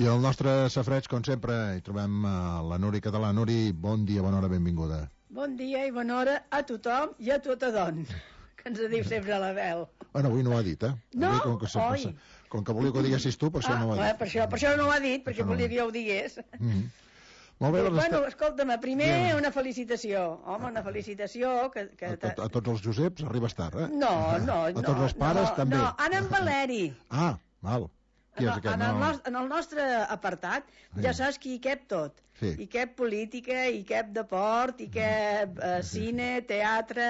I el nostre safareig, com sempre, hi trobem la Nuri Català. Nuri, bon dia, bona hora, benvinguda. Bon dia i bona hora a tothom i a tota don, que ens diu sempre a la veu. Bueno, avui no ho ha dit, eh? No? Avui, com que volia que ho diguessis tu, per això no ho ha dit. Per això no ho ha dit, perquè volia que jo ho digués. Molt bé, bueno, escolta'm, primer una felicitació. Home, una felicitació que... A tots els Joseps arribes tard, eh? No. A tots els pares també. No, Anna en Valeri. Ah, val. Qui és aquest? En el nostre apartat ja saps que hi cap tot. Sí. Hi cap política, hi cap deport, hi cap cine, teatre,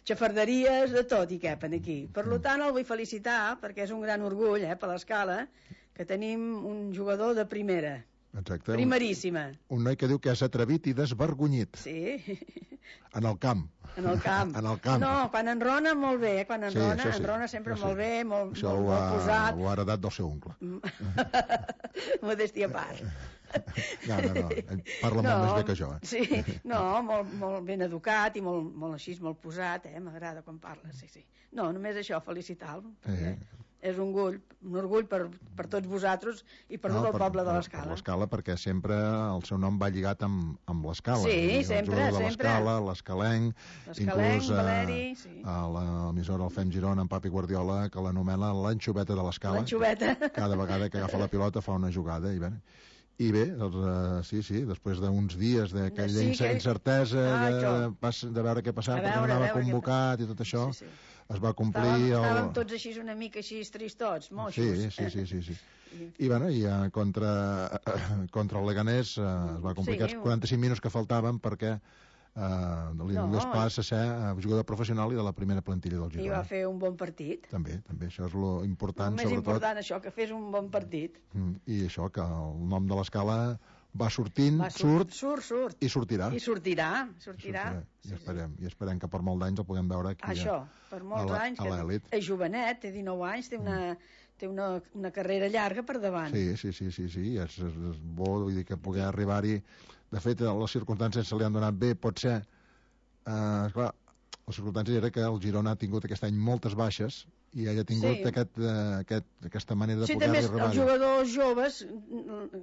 xafarderies, de tot hi capen aquí. Per tant, el vull felicitar, perquè és un gran orgull per l'Escala, que tenim un jugador de primera. Exacte. Primeríssima. Un noi que diu que és atrevit i desvergonyit. Sí. En el camp. En el camp. No, quan enrona molt bé, quan enrona, enrona sempre molt bé, molt posat. Ho ha heredat del seu oncle. Modèstia a part. No, parla molt més bé que jo. Sí, no, molt ben educat i molt així, molt posat, m'agrada quan parla, sí. No, només això, felicitar-lo. És un orgull per tots vosaltres i per tot el poble de l'Escala. Per l'Escala, perquè sempre el seu nom va lligat amb l'Escala. Sí, sempre. L'Escalenc, inclús a l'emissora El Fem Girona, en Papi Guardiola, que l'anomena l'anxoveta de l'Escala. L'anxoveta. Cada vegada que agafa la pilota fa una jugada i bé, doncs, sí, després d'uns dies d'aquella incertesa de veure què passava, perquè no anava convocat i tot això, es va complir... Estàvem tots així una mica així tristots, moixos. Sí. I contra el Leganés es va complicar els 45 minuts que faltaven perquè li passa a ser jugador professional i de la primera plantilla del Girona. I va fer un bon partit. També, això és lo important. Més important això, que fes un bon partit. I això, que el nom de l'Escala va sortint, surt i sortirà. I sortirà. I esperem que per molts anys el puguem veure aquí per molts anys, a l'elit. És jovenet, té 19 anys, té una carrera llarga per davant. Sí, és bo, vull dir que poder arribar-hi. De fet, les circumstàncies se li han donat bé, pot ser, esclar, les circumstàncies era que el Girona ha tingut aquest any moltes baixes i ell ha tingut aquesta manera de poder arribar. Els jugadors joves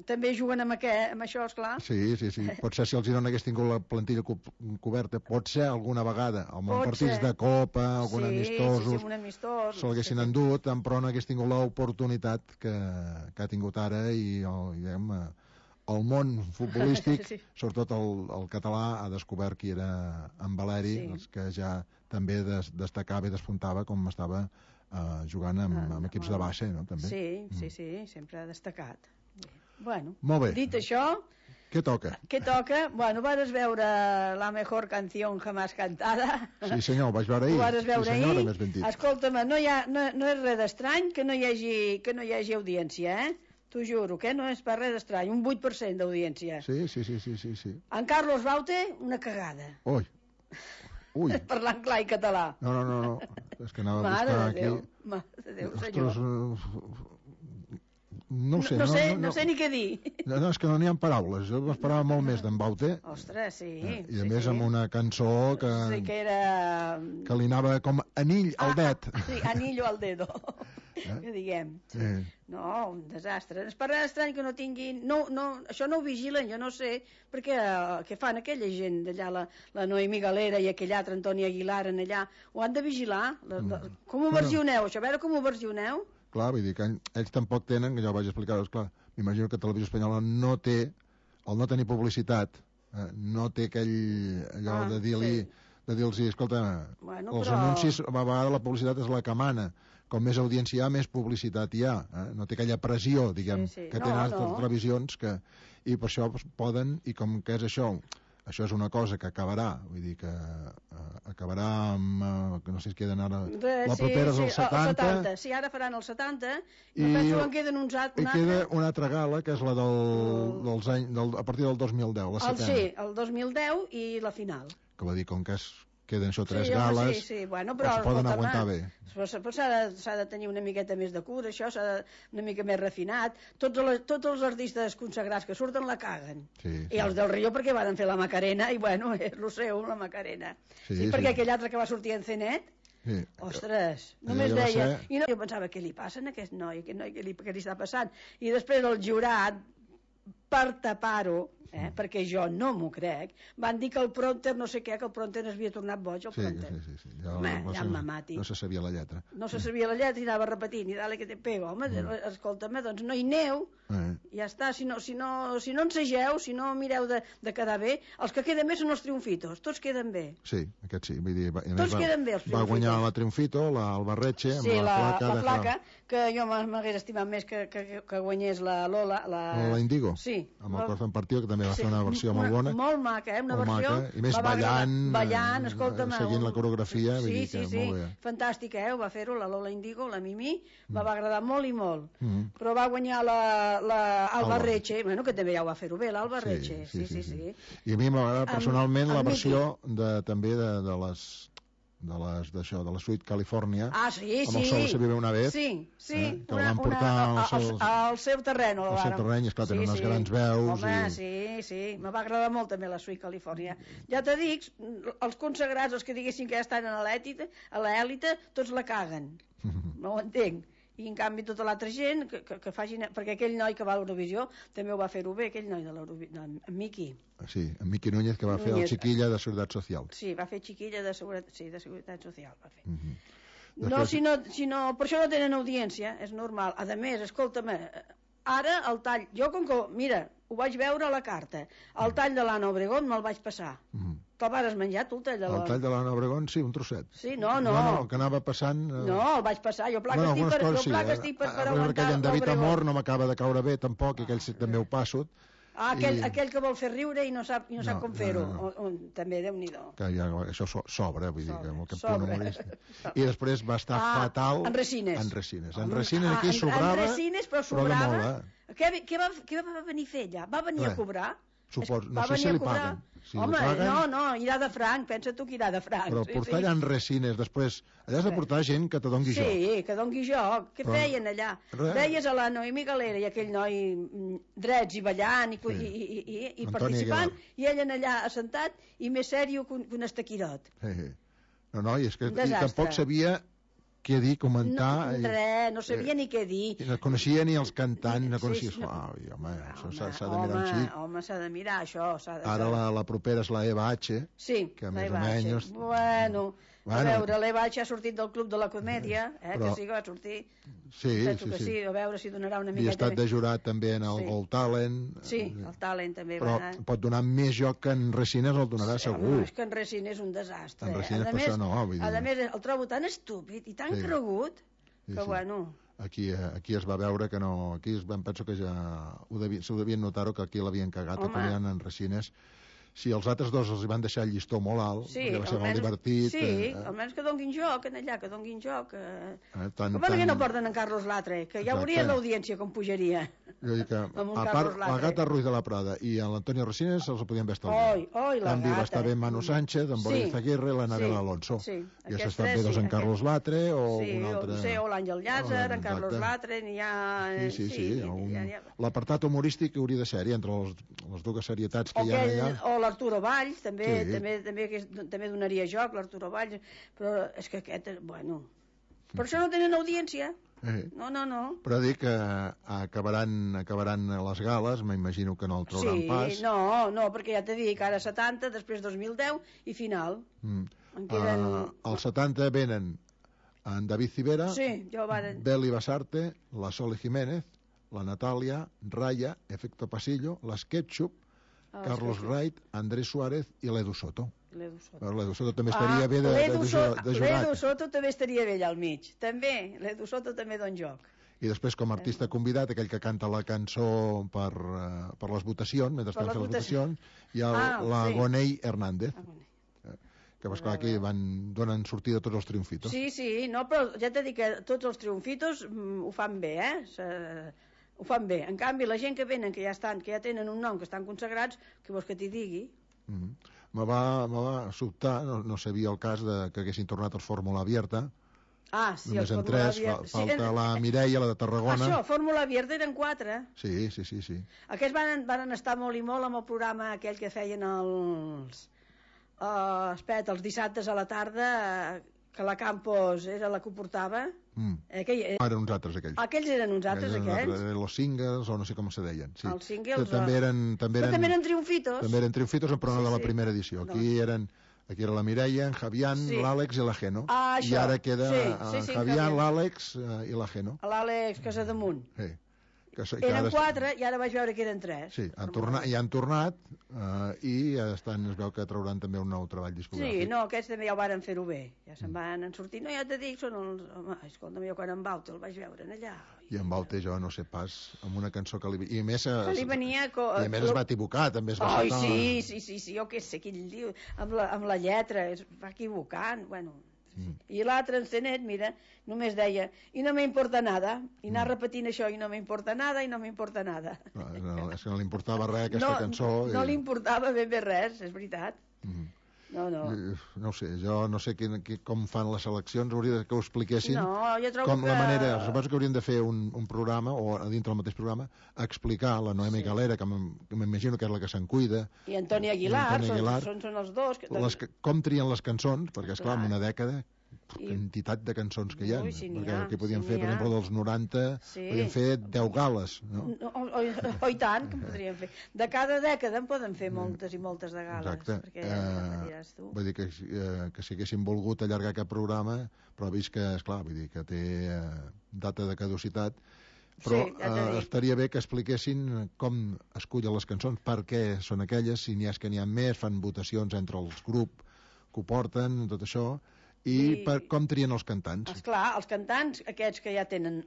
també juguen amb això, esclar. Sí. Pot ser si el Girona hagués tingut la plantilla coberta, pot ser alguna vegada, amb partits de Copa, algun amistosos, se l'haguessin endut, però no hagués tingut l'oportunitat que ha tingut ara i diguem, el món futbolístic, sobretot el català, ha descobert qui era en Valeri, que ja també destacava i despuntava com estava jugant amb equips de base, no? També. Sí, sempre ha destacat. Bueno, molt bé. Dit això... Què toca? Bueno, vas veure la mejor canción jamás cantada. Sí, senyor, ho vaig veure ahir. Ho vas veure ahir. Escolta'm, no és res d'estrany que no hi hagi audiència, T'ho juro, que no és per res estrany, un 8% d'audiència. Sí. En Carlos Baute, una cagada. Ui. Parlant clar i català. No. És que anava a buscar aquí... Mare de Déu, senyor. No sé ni què dir. No, és que no n'hi ha paraules. Jo m'esperava molt més d'en Baute. Ostres, sí. I a més amb una cançó que era... que li anava com anell al det. Sí, anillo al dedo. Que diguem. No, un desastre. És per res estrany que no tinguin... Això no ho vigilen, jo no sé, perquè què fan aquella gent d'allà, la Noemí Galera i aquell altre Antoni Aguilar en allà, ho han de vigilar? Com ho versioneu, això? A veure com ho versioneu? Clar, vull dir que ells tampoc tenen, que ja ho vaig explicar, clar, m'imagino que Televisió Espanyola no té, al no tenir publicitat, no té allò de dir-los, escolta, els anuncis, a vegades la publicitat és la que mana, com més audiència hi ha, més publicitat hi ha, no té aquella pressió, diguem, que tenen altres televisions, i per això poden, i com que és això és una cosa que acabarà, vull dir que acabarà amb, que no sé si queden ara, la propera és el 70. Sí, ara faran el 70, i penso que en queden uns altres. I queda una altra gala, que és la dels anys, a partir del 2010, la setena. Sí, el 2010 i la final. Que va dir, com que queden això 3 gales, bueno, però es poden aguantar bé. S'ha de tenir una miqueta més de cura, això s'ha de una mica més refinat. Tots els artistes consagrats que surten la caguen. I els del Rio perquè van fer la Macarena, i bueno, és el seu, la Macarena. Perquè aquell altre que va sortir en Cenet, Ostres, només deia... I no, jo pensava, què li passa a aquest noi? Què li està passant? I després el jurat, per tapar-ho, perquè jo no m'ho crec, van dir que el prompter, no sé què, que el prompter es havia tornat boig, el prompter. Sí. Ja em mati. No se sabia la lletra. No se sabia la lletra i anava repetint, i dale que te pego. Home, escolta'm, doncs no hi aneu, ja està, si no ensegeu, si no mireu de quedar bé, els que queden bé són els triomfitos, tots queden bé. Sí, aquest sí, vull dir... Tots queden bé, els triomfitos. Va guanyar la Triomfito, el Barretxe, amb la placa, que jo m'hagués estimat més que guanyés la Lola. La Indigo? Sí. Amb el Corazón Partido, que també va fer una versió molt bona. Molt maca, una versió... I més ballant, escolta'm... Seguint la coreografia, sí, fantàstica, ho va fer-ho, la Lola Indigo, la Mimi, va agradar molt i molt. Però va guanyar l'Alba Retxe, que també ja ho va fer-ho bé, l'Alba Retxe, sí. I a mi m'agrada personalment la versió també de la Suite California, amb el Sol se vive una vez, que la van portar al seu terreny. Al seu terreny, esclar, tenen unes grans veus. Home, sí, me va agradar molt també la Suite California. Ja te dic, els consagrats, els que diguessin que ja estan a l'èlite, tots la caguen, no ho entenc. I en canvi tota l'altra gent que facin... Perquè aquell noi que va a l'Eurovisió també ho va fer-ho bé, aquell noi de l'Eurovisió, en Miqui. Sí, en Miqui Núñez, que va fer el Chiquilla de Seguretat Social. Sí, va fer Chiquilla de Seguretat Social, va fer. No, per això no tenen audiència, és normal. A més, escolta'm, ara el tall... Jo, com que, mira, ho vaig veure a la carta, el tall de l'Anna Obregón me'l vaig passar. Te'l vas menjar, tu, el tall de l'Anna? El tall de l'Anna Obregón, sí, un trosset. Sí, no. No, que anava passant... No, el vaig passar, jo pla que estic per aguantar aquell en David Amor no m'acaba de caure bé, tampoc, i aquell també ho passo. Aquell que vol fer riure i no sap com fer-ho. També, Déu-n'hi-do. Això sobra, vull dir, amb aquest punt humorista. I després va estar fatal... En Resines. En Resines aquí sobrava... En Resines, però sobrava... Què va venir a fer allà? Va venir a cobrar? No sé si li paguen. Home, no, irà de franc, pensa tu que irà de franc. Però portar allà en Resines, després, allà has de portar gent que te dongui joc. Sí, que dongui joc. Què feien allà? Veies a la Noemí Galera i aquell noi drets i ballant i participant, i ell allà assentat i més sèrio que un estaquirot. No, i és que tampoc sabia què dir, comentar... No sabia ni què dir. No coneixia ni els cantants, no coneixia... Home, això s'ha de mirar un xic. Home, s'ha de mirar, això. Ara la propera és la Eva H. Sí, la Eva H. Bueno, a veure, l'Eva H ha sortit del Club de la Comèdia, que sí que va sortir. Sí. A veure si donarà una miqueta... I ha estat de jurat també en el Gold Talent. Sí, el Talent també va anar. Però pot donar més joc que en Resines el donarà segur. És que en Resines és un desastre. En Resines per això no, vull dir. A més, el trobo tan estúpid i tan cregut que, bueno... Aquí es va veure que no... Aquí penso que ja s'ho devien notar que aquí l'havien cagat, que tenien en Resines. Si els altres dos els van deixar el llistó molt alt, perquè va ser molt divertit... Sí, almenys que donguin joc allà, que donguin joc. Com que no porten en Carlos Latre? Que ja veuries l'audiència com pujaria. Jo dic que, a part, la Gata Ruiz de la Prada i l'Antonio Resines els ho podien haver estalviat. També va estar bé Manu Sánchez, en Boris Aguirre i l'Anabel Alonso. I has estat bé en Carlos Latre o un altre... Sí, o l'Àngel Llàzer, en Carlos Latre, n'hi ha... Sí. L'apartat humorístic hauria de ser-hi entre les dues serietats que hi ha allà. O l'Arturo Valls, també donaria joc, l'Arturo Valls, però és que aquest, bueno... Per això no tenen audiència. No. Però dic que acabaran les gales, m'imagino que no el trauran pas. No, perquè ja t'he dit que ara 70, després 2010 i final. Al 70 venen en David Civera, Beli Basarte, la Sole Jiménez, la Natàlia, Raya, Efecto Pasillo, les Ketchup, Carlos Wright, Andrés Suárez i l'Edu Soto. L'Edu Soto també estaria bé de jurat. L'Edu Soto també estaria bé allà al mig. També, l'Edu Soto també don joc. I després, com a artista convidat, aquell que canta la cançó per les votacions, mentre estan fent les votacions, hi ha la Gonei Hernández. Que, esclar, aquí donen sortida a tots els triomfitos. Sí, no, però ja t'he dit que tots els triomfitos ho fan bé, ho fan bé. En canvi, la gent que venen, que ja tenen un nom, que estan consagrats, què vols que t'hi digui? Me va sobtar, no sabia el cas que haguessin tornat els Fórmula Abierta. Sí, només en 3, falta la Mireia, la de Tarragona. Això, Fórmula Abierta eren 4. Sí. Aquests van estar molt i molt amb el programa aquell que feien els dissabtes a la tarda, que la Campos era la que ho portava. Eren uns altres, aquells. Aquells eren uns altres, aquells? Los Singles, o no sé com se deien. Sí. Els Singles. També eren Triomfitos. També eren triomfitos, però no de la primera edició. Aquí era la Mireia, en Javián, l'Àlex i la Geno. I ara queda en Javián, l'Àlex i la Geno. L'Àlex Casademunt. Sí. Eren 4 i ara vaig veure que eren 3. Sí, han tornat i es veu que trauran també un nou treball discogràfic. Sí, no, aquests també ja ho varen fer-ho bé. Ja se'n van sortir. No, ja t'he dit, són els... Home, escolta'm, jo quan en Baute el vaig veure allà. I en Baute jo no sé pas, amb una cançó que li... I a més, li venia... I a més es va equivocar, també es va... Sí, jo què sé, quin diu, amb la lletra, es va equivocant, bueno... I l'altre encenet, mira, només deia i no m'importa nada, i anar repetint això i no m'importa nada, i no m'importa nada. No, és que no li importava res aquesta cançó. No li importava ben bé res, és veritat. No ho sé, jo no sé com fan les seleccions, hauria que ho expliquessin. No, jo trobo com la manera, suposo que haurien de fer un programa, o a dintre del mateix programa, explicar la Noemi Galera, que m'imagino que és la que se'n cuida. I Antoni Aguilar, són els dos. Com trien les cançons, perquè esclar, en una dècada quantitat de cançons que hi ha, perquè aquí podíem fer, per exemple, dels 90, podíem fer 10 gales, no? I tant, que podríem fer. De cada dècada en poden fer moltes i moltes de gales. Exacte. Vull dir que si haguéssim volgut allargar aquest programa, però he vist que, esclar, vull dir que té data de caducitat, però estaria bé que expliquessin com escullen les cançons, per què són aquelles, si n'hi ha més, fan votacions entre els grups que ho porten, tot això, i com trien els cantants. Esclar, els cantants, aquests que ja tenen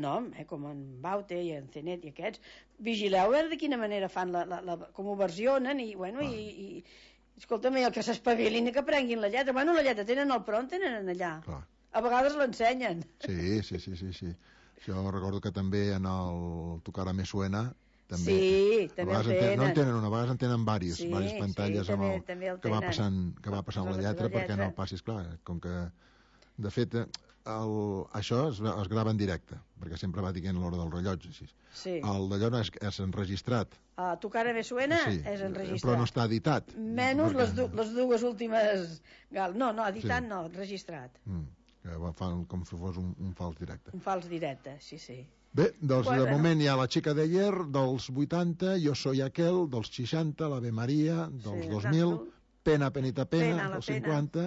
nom, com en Baute i en Cenet i aquests, vigileu a veure de quina manera fan, com ho versionen, i bueno, i escolta'm, el que s'espavilin i que prenguin la lletra. Bueno, la lletra tenen al front, tenen allà. A vegades l'ensenyen. Sí. Jo recordo que també en el Tocar Me Suena també. Sí, també el tenen. No en tenen una, a vegades en tenen diverses pantalles que va passant la lletra perquè no passis, clar, com que de fet això es grava en directe, perquè sempre va dient l'hora del rellotge, així. El d'allò és enregistrat. A Tocar Me Suena és enregistrat. Però no està editat. Menys les dues últimes... No, editat no, registrat. Que fan com si fos un fals directe. Un fals directe, sí. Bé, doncs de moment hi ha La Chica de Ayer, dels 80, Yo Soy Aquel, dels 60, l'Ave María, dels 2000, Pena, Penita, Pena, dels 50,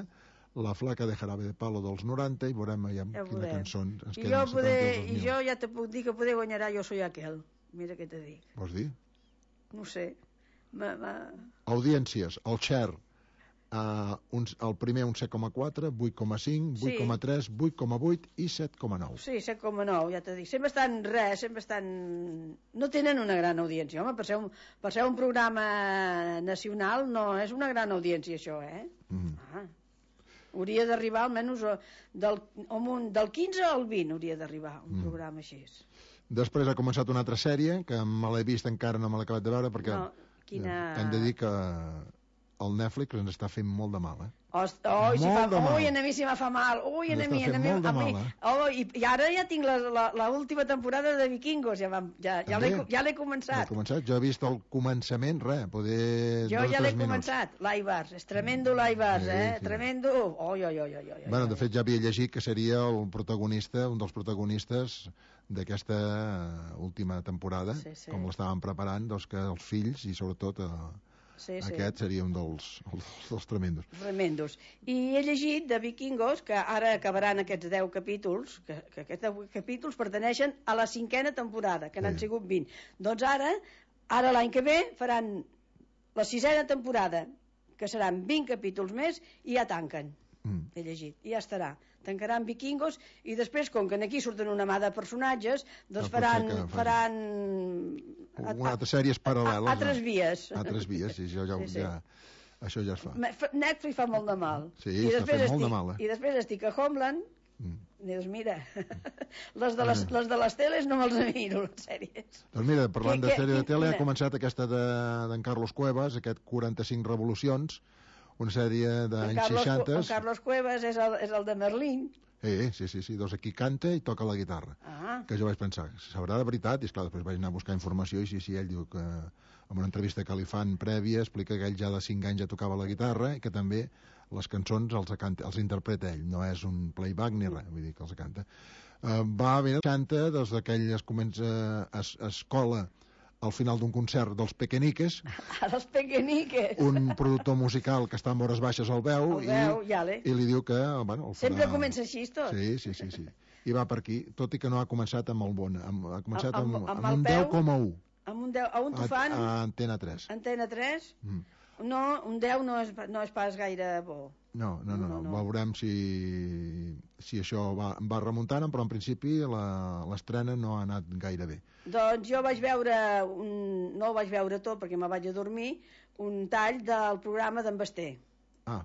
La Flaca de Jarabe de Palo, dels 90, i veurem quina cançó ens queda. I jo ja te puc dir que poder guanyarà Yo Soy Aquel. Mira què te dic. Vols dir? No sé. Audiències, el share. El primer un 7,4, 8,5, 8,3, 8,8 i 7,9. Sí, 7,9, ja t'ho dic. Sempre estan... No tenen una gran audiència. Home, per ser un programa nacional no és una gran audiència, això, Hauria d'arribar almenys del 15 al 20 hauria d'arribar un programa així. Després ha començat una altra sèrie, que me l'he vist encara, no me l'he acabat de veure, perquè hem de dir que el Netflix ens està fent molt de mal, Ui, a mi si me fa mal. Ui, a mi. I ara ja tinc l'última temporada de Vikingos, ja l'he començat. Jo he vist el començament, jo ja l'he començat, l'Aibars, és tremendo l'Aibars, tremendo. Bueno, de fet ja havia llegit que seria un dels protagonistes d'aquesta última temporada, com l'estaven preparant, doncs que els fills i sobretot aquest seria un dels tremendos. I he llegit de Vikingos que ara acabaran aquests 10 capítols, que aquests 10 capítols pertaneixen a la 5a temporada, que n'han sigut 20. Doncs ara l'any que ve faran la 6a temporada, que seran 20 capítols més, i ja tanquen. He llegit, i ja estarà. Tancaran Vikingos i després, com que aquí surten una mà de personatges, doncs faran altres sèries paral·leles. Altres vies, sí, això ja es fa. Netflix fa molt de mal. Sí, està fent molt de mal. I després estic a Homeland, dius, mira, les de les teles no me'ls miro, les sèries. Doncs mira, parlant de sèrie de tele, ha començat aquesta d'en Carlos Cuevas, aquest 45 revolucions, una sèrie d'anys 60. En Carlos Cuevas és el de Merlín. Sí, doncs aquí canta i toca la guitarra. Que jo vaig pensar, sabrà de veritat, i esclar, després vaig anar a buscar informació, i sí, ell diu que en una entrevista que li fan prèvia explica que ell ja de 5 anys ja tocava la guitarra i que també les cançons els interpreta ell, no és un playback ni res, vull dir que els canta. Va haver 60 des d'aquelles comença escola al final d'un concert dels Pequeñiques. Els Pequeñiques. Un productor musical que està en hores baixes el veu i li diu que... Bueno, sempre comença així tot. Sí. I va per aquí, tot i que no ha començat amb el bon. Ha començat amb un 10,1. Amb un 10, a on t'ho fan? A Antena 3. Antena 3? No, un 10 no és pas gaire bo. No. Veurem si això va remuntant, però en principi l'estrena no ha anat gaire bé. Doncs jo vaig veure, no ho vaig veure tot perquè me vaig a dormir, un tall del programa d'en Basté,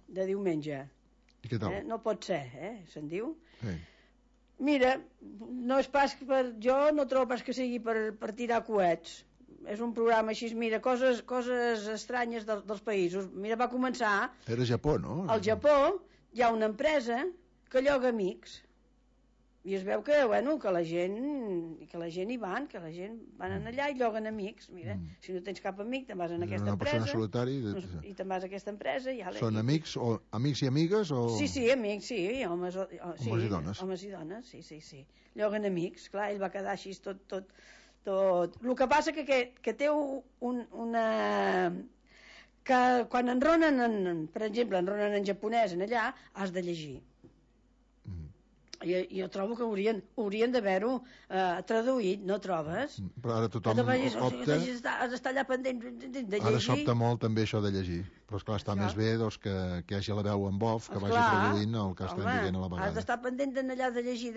de diumenge. I què tal? No pot ser, se'n diu. Sí. Mira, no és pas jo no trobo pas que sigui per tirar coets. És un programa així, mira, coses estranyes dels països. Mira, va començar... Era Japó, no? Al Japó hi ha una empresa que lloga amics. I es veu que la gent hi van, que la gent van allà i lloguen amics. Mira, si no tens cap amic, te'n vas a aquesta empresa. Una persona solitària. I te'n vas a aquesta empresa. Són amics i amigues? Sí, amics, sí. Homes i dones. Homes i dones, sí. Lloguen amics, clar, ell va quedar així tot. El que passa que té una... que quan enronen, per exemple, enronen en japonès en allà, has de llegir. Jo trobo que haurien d'haver-ho traduït, no trobes? Però ara tothom opta... Has d'estar allà pendent de llegir. Ara s'opta molt també això de llegir, però esclar, està més bé que hi hagi la veu en off, que vagi traduint el que estem dient a la vegada. Has d'estar pendent allà de llegir.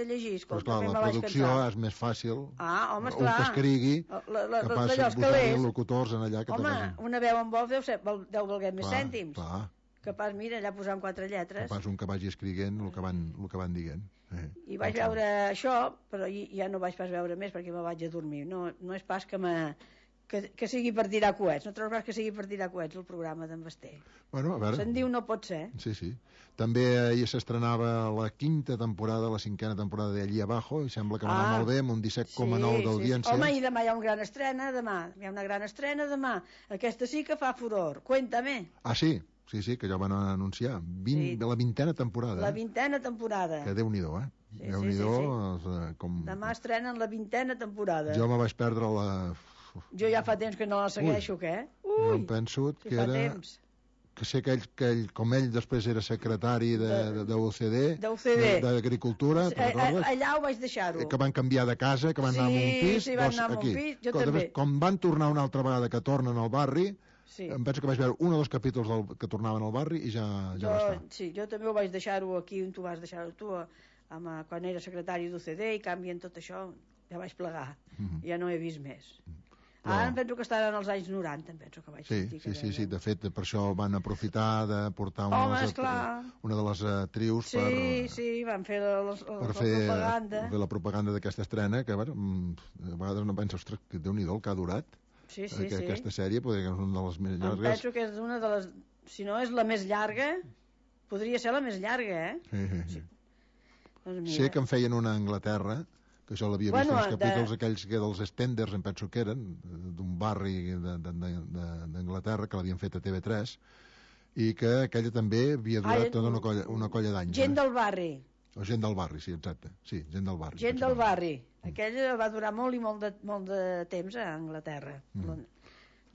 Però esclar, la producció és més fàcil. Home, esclar. Un que escrigui, que passi buscar locutors en allà que te vagin. Home, una veu en off deu valer més cèntims. Clar. Capaç, mira, allà posant 4 lletres. Capaç un que vagi escrivint el que van dient. I vaig veure això, però ja no vaig pas veure més perquè me vaig a dormir. No és pas que sigui per tirar coets. No trobes pas que sigui per tirar coets el programa d'en Basté. Bueno, a veure. Se'n diu no pot ser. Sí. També ahir s'estrenava la 5ª temporada, la 5a temporada d'Allí Abajo, i sembla que va anar molt bé, amb un 17,9 d'audiència. Home, i demà hi ha una gran estrena, demà. Aquesta sí que fa furor. Cuéntame. Ah, sí? Sí, que ja van anunciar. La 20a temporada. La 20a temporada. Que Déu-n'hi-do, Déu-n'hi-do. Demà estrenen la 20a temporada. Jo me vaig perdre la... Jo ja fa temps que no la segueixo, què? Jo em penso que era... Temps. Que sé que ell, com ell després era secretari d'UCD, d'Agricultura, allà ho vaig deixar-ho. Que van canviar de casa, que van anar a un pis. Sí, van anar a un pis, jo també. Com van tornar una altra vegada, que tornen al barri, em penso que vaig veure 1 o 2 capítols que tornaven al barri i ja va estar. Sí, jo també ho vaig deixar-ho aquí on tu vas deixar-ho tu, quan era secretari d'UCD, i canvien tot això, ja vaig plegar. Ja no he vist més. Ara em penso que estaran als anys 90, em penso que vaig sentir. Sí, de fet, per això van aprofitar de portar una de les actrius van fer la propaganda. Per fer la propaganda d'aquesta estrena, que a vegades no penso, ostres, que Déu-n'hi-do el que ha durat. Sí. Aquesta sèrie podria ser una de les més llargues. Em penso que és una de les... Si no és la més llarga, podria ser la més llarga, Sí. Sé que en feien una a Anglaterra, que això l'havia vist els capítols aquells que dels Stenders, em penso que eren, d'un barri d'Anglaterra, que l'havien fet a TV3, i que aquella també havia durat tota una colla d'anys. Gent del barri. O Gent del barri, sí, exacte. Sí, Gent del barri. Gent del barri. Aquella va durar molt i molt de temps a Anglaterra.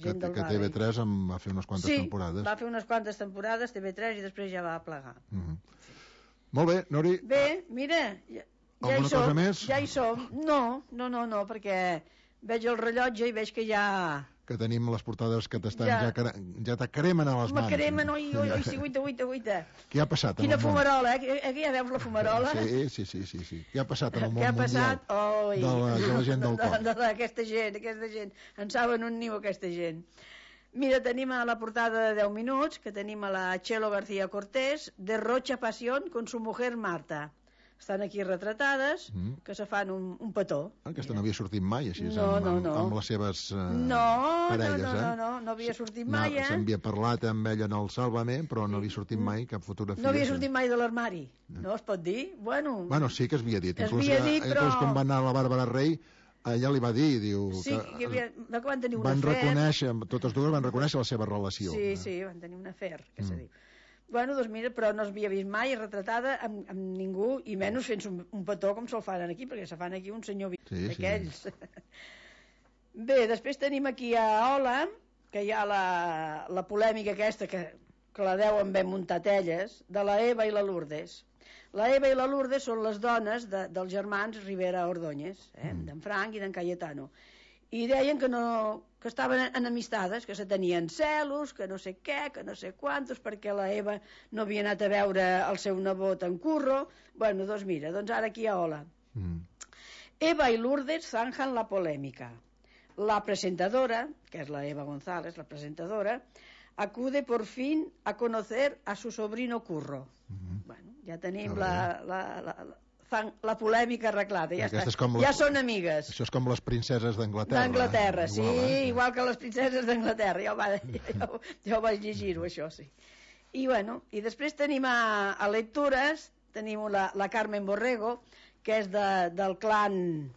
Que TV3 en va fer unes quantes temporades. Sí, va fer unes quantes temporades, TV3, i després ja va plegar. Molt bé, Nori. Bé, mira, alguna cosa més? Ja hi som. No, perquè veig el rellotge i veig que ja... Que tenim les portades que t'estan ja t'acremen a les mans. M'acremen, oi, sí, guita. Què ha passat? Quina fumarola, Aquí ja veus la fumarola? Sí. Què ha passat en el món mundial de la gent del cor? D'aquesta gent. En saben un niu, aquesta gent. Mira, tenim a la portada de 10 minuts, que tenim a la Chelo García Cortés, derrocha pasión con su mujer Marta. Estan aquí retratades, que se fan un petó. Aquesta no havia sortit mai, així, amb les seves parelles, no havia sortit mai, S'havia parlat amb ella en el Sálvame, però no havia sortit mai cap fotografia. No havia sortit mai de l'armari, no es pot dir? Bueno, sí que es havia dit. Inclús quan va anar la Bàrbara Rey, ella li va dir, diu... Sí, que van tenir un afer. Totes dues van reconèixer la seva relació. Sí, van tenir un afer, que se diu. Bueno, doncs mira, però no s'havia vist mai retratada amb ningú, i menys fent un petó com se'l fan aquí, perquè se fan aquí un senyor d'aquells. Sí. Bé, després tenim aquí a Ola, que hi ha la polèmica aquesta, que la deuen ben muntat elles, de la Eva i la Lourdes. La Eva i la Lourdes són les dones dels germans Rivera Ordóñez, d'en Frank i d'en Cayetano. I deien que estaven enemistades, que se tenien celos, que no sé què, que no sé quantos, perquè la Eva no havia anat a veure el seu nebot en Curro. Bueno, doncs mira, doncs ara aquí a Ola. Eva y Lourdes zanjan la polémica. La presentadora, que es la Eva González, la presentadora, acude por fin a conocer a su sobrino Curro. Bueno, ja tenim la polèmica arreglada, ja està. Ja són amigues. Això és com les princeses d'Anglaterra. D'Anglaterra, sí, igual que les princeses d'Anglaterra. Ja ho vaig llegir-ho, això, sí. I bueno, i després tenim a lectures, tenim la Carmen Borrego, que és del clan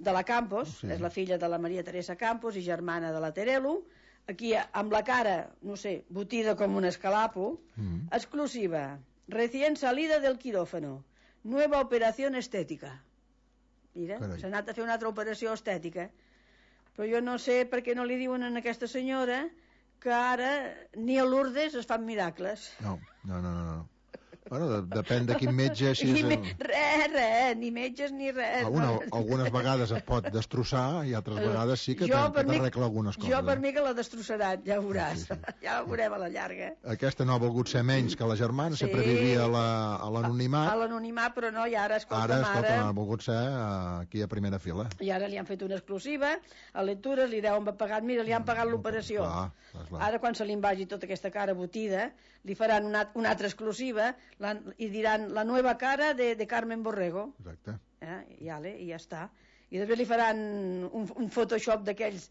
de la Campos, és la filla de la Maria Teresa Campos i germana de la Terelu. Aquí, amb la cara, no sé, botida com un escalapo, exclusiva, recién salida del quirófano, nueva operación estética. Mira, s'ha anat a fer una altra operació estètica. Però jo no sé per què no li diuen a aquesta senyora que ara ni a Lourdes es fan miracles. No. Bueno, depèn de quin metge... Res, ni metges ni res. Algunes vegades et pot destrossar i altres vegades sí que t'arregla algunes coses. Jo per mi que la destrossaran, ja ho veuràs. Ja ho veurem a la llarga. Aquesta no ha volgut ser menys que la germana, sempre vivia a l'anonimat. A l'anonimat, però no, i ara, escolta, no ha volgut ser aquí a primera fila. I ara li han fet una exclusiva, a lectures li deuen haver pagat, mira, li han pagat l'operació. Ara, quan se li vagi tota aquesta cara botida, li faran una altra exclusiva i diran la nova cara de Carmen Borrego. Exacte. I ja està. I després li faran un Photoshop d'aquells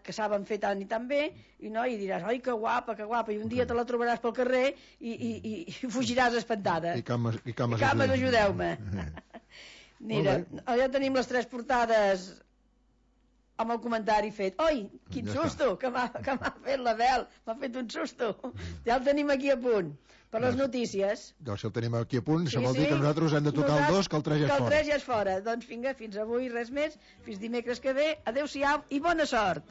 que saben fer tant i tan bé, i diràs, oi, que guapa, i un dia te la trobaràs pel carrer i fugiràs espantada. I cames, ajudeu-me. Mira, ja tenim les 3 portades amb el comentari fet. Oi, quin susto que m'ha fet la Bel, m'ha fet un susto. Ja el tenim aquí a punt per les notícies. Doncs si el tenim aquí a punt, això vol dir que nosaltres hem de tocar el 2, que el 3 ja és fora. Que el 3 ja és fora. Doncs vinga, fins avui res més, fins dimecres que ve, adeu-siau i bona sort.